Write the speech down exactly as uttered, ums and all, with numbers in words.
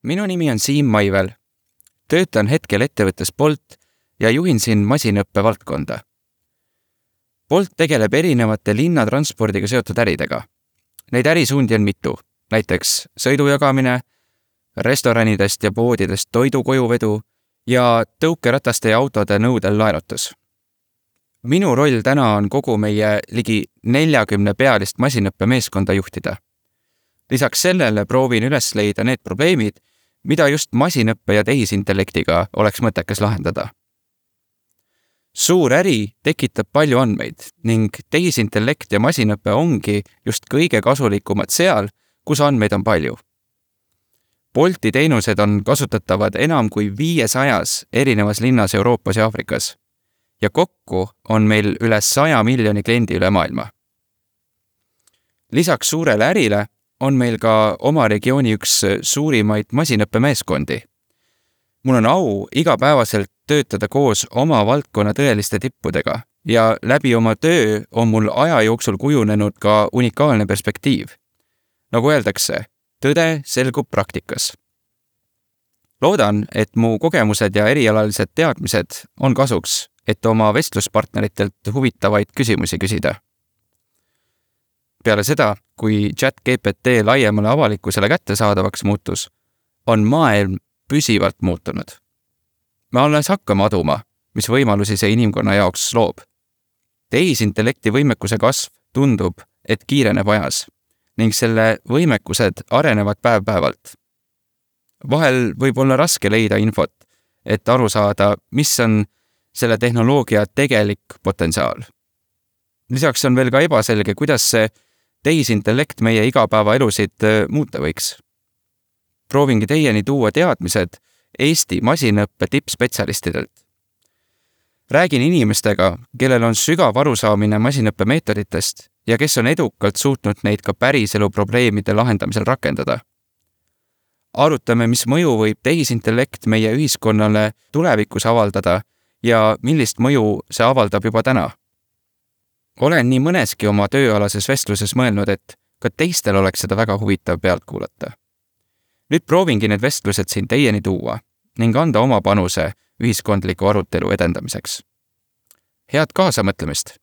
Minu nimi on Siim Maivel. Töötan hetkel ettevõttes Bolt ja juhin siin masinõppe valdkonda. Bolt tegeleb erinevate linnatranspordiga seotud äridega. Neid ärisuundi on mitu, näiteks sõidujagamine, restoranidest ja poodidest toidu kojuvedu ja tõukerataste ja autode nõudel laenutus. Minu roll täna on kogu meie ligi neljakümne pealist masinõppe meeskonda juhtida. Lisaks sellele proovin üles leida need probleemid, mida just masinõppe ja tehisintellektiga oleks mõttekas lahendada. Suur äri tekitab palju andmeid ning tehisintellekt ja masinõppe ongi just kõige kasulikumad seal, kus andmeid on palju. Bolti teenused on kasutatavad enam kui viiesajas erinevas linnas Euroopas ja Aafrikas ja kokku on meil üle saja miljoni kliendi üle maailma. Lisaks suurele ärile on meil ka oma regiooni üks suurimaid masinõppemeeskondi. Mul on au igapäevaselt töötada koos oma valdkonna tõeliste tippudega ja läbi oma töö on mul aja jooksul kujunenud ka unikaalne perspektiiv. Nagu öeldakse, tõde selgub praktikas. Loodan, et mu kogemused ja erialalised teadmised on kasuks, et oma vestluspartneritelt huvitavaid küsimusi küsida. Peale seda, kui ChatGPT laiemale avalikkusele kättesaadavaks muutus, on maailm püsivalt muutunud. Me alles hakkame aduma, mis võimalusi see inimkonna jaoks loob. Tehisintellekti võimekuse kasv tundub, et kiireneb ajas ning selle võimekused arenevad päev-päevalt. Vahel võib olla raske leida infot, et aru saada, mis on selle tehnoloogia tegelik potentsiaal. Lisaks on veel ka ebaselge, kuidas see tehisintellekt meie igapäeva elusid muuta võiks. Proovingi teieni tuua teadmised Eesti masinõppe tippspetsialistidelt. Räägin inimestega, kellel on sügav arusaamine masinõppe meetoditest ja kes on edukalt suutnud neid ka päriselu probleemide lahendamisel rakendada. Arutame, mis mõju võib tehisintellekt meie ühiskonnale tulevikus avaldada ja millist mõju see avaldab juba täna. Olen nii mõneski oma tööalases vestluses mõelnud, et ka teistel oleks seda väga huvitav pealt kuulata. Nüüd proovingi need vestlused siin teieni tuua ning anda oma panuse ühiskondliku arutelu edendamiseks. Head kaasamõtlemist!